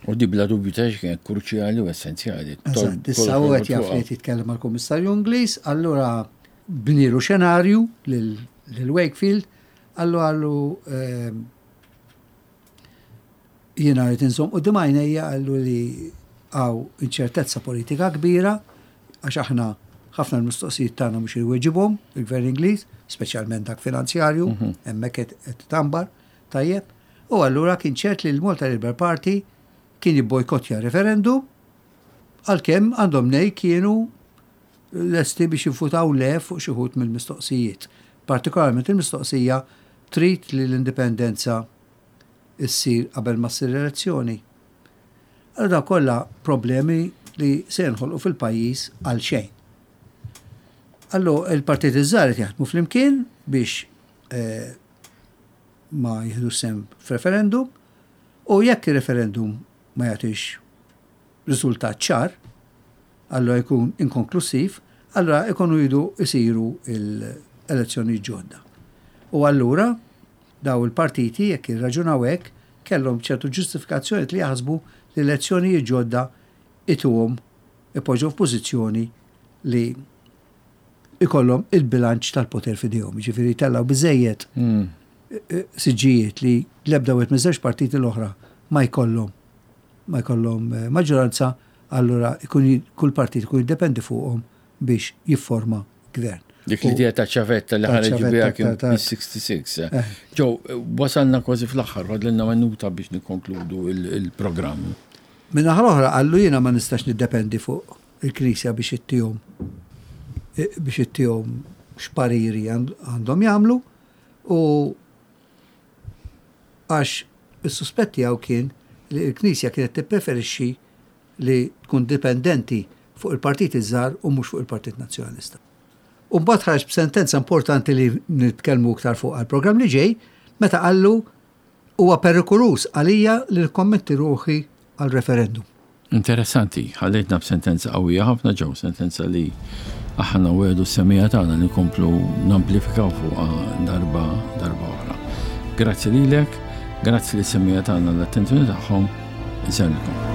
U di bla dubju ta' kienet kruċjali u essenzjali. Eżatt, issa hu qed jaf li qed jitkellem mal-Kummissarju Ingliż, allura bnielu xenarju lil Wakefield, qallu qallu jiena rrid inżomm quddiem għajnejja qallu li hawn inċertezza politika kbira għax aħna ħafna l-mistoqsijiet tagħna mhux iweġibhom il-Gvern Ingliż, speċjalment dak finanzjarju, hemmhekk qed tambar, tajjeb. U allura kien ċert li l-Malta Labour Party kien jibbojkottja referendum għalkemm għandhom nej kienu lesti biex jivvutaw le fuq xi wħud mill-mistoqsijiet. Partikolarment il-mistoqsija trid li l-indipendenza issir qabel ma ssir elezzjoni. Allura dawn kollha problemi li se jinħolqu fil-pajjiż għal xejn. Allu il-partiti ż-żgħar qed jaħdmu flimkien biex eh, ma jieħdux sehem f'referendum u jekk ir-referendum ma jagħtix riżultat ċar, allura jkun inkonklussiv, allura ikunu jridu jsiru l-elezzjonijiet ġodda. U allura daw il-partiti jekk jirraġunaw hekk kellhom ċertu ġustifikazzjonijiet li jaħsbu li elezzjonijiet ġodda ituhom ipoġġu f'pożizzjoni li ikollhom il-bilanċ tal-poter f'idejhom, jiġifieri jtellgħu biżejjed siġġijiet li l-ebda wieħed miż-żewġ partiti l-oħra ma jkollhom ma jkollhom maġġoranza, allura jkun kull partit ikun jiddependi fuqhom biex jifforma gvern. Dik l-idea ta' ċavetta li ħareġ biha kien fis-66. Eh. Ġew, wasalna kważi fl-aħħar, fadlilna minuta biex nikkonkludu il-programm. Minn aħħar oħra qallu jiena ma nistax niddependi fuq il-Knisja biex ittihom biex ittihom x'pariri għandhom jagħmlu u għax is-suspett tiegħu kien li l-Knisja kienet tippreferixxi li tkun dipendenti fuq il-partiti ż-żgħar u mhux fuq il-Partit Nazzjonalista. U mbagħad ħareġ b'sentenza importanti li nitkellmu iktar fuq għall-programm li ġej, meta qallu huwa perikoluż għalija li nikkommetti ruħi għal referendum. Interessanti, ħallejtna b'sentenza qawwija ħafna ġew, sentenza li aħna wegħdu s-semija tagħna li nkomplu namplifikaw fuqha darba darba oħra. Grazzi lilek, grazzi lis-semija tagħna l-attenzjoni tagħhom, insellmilkom.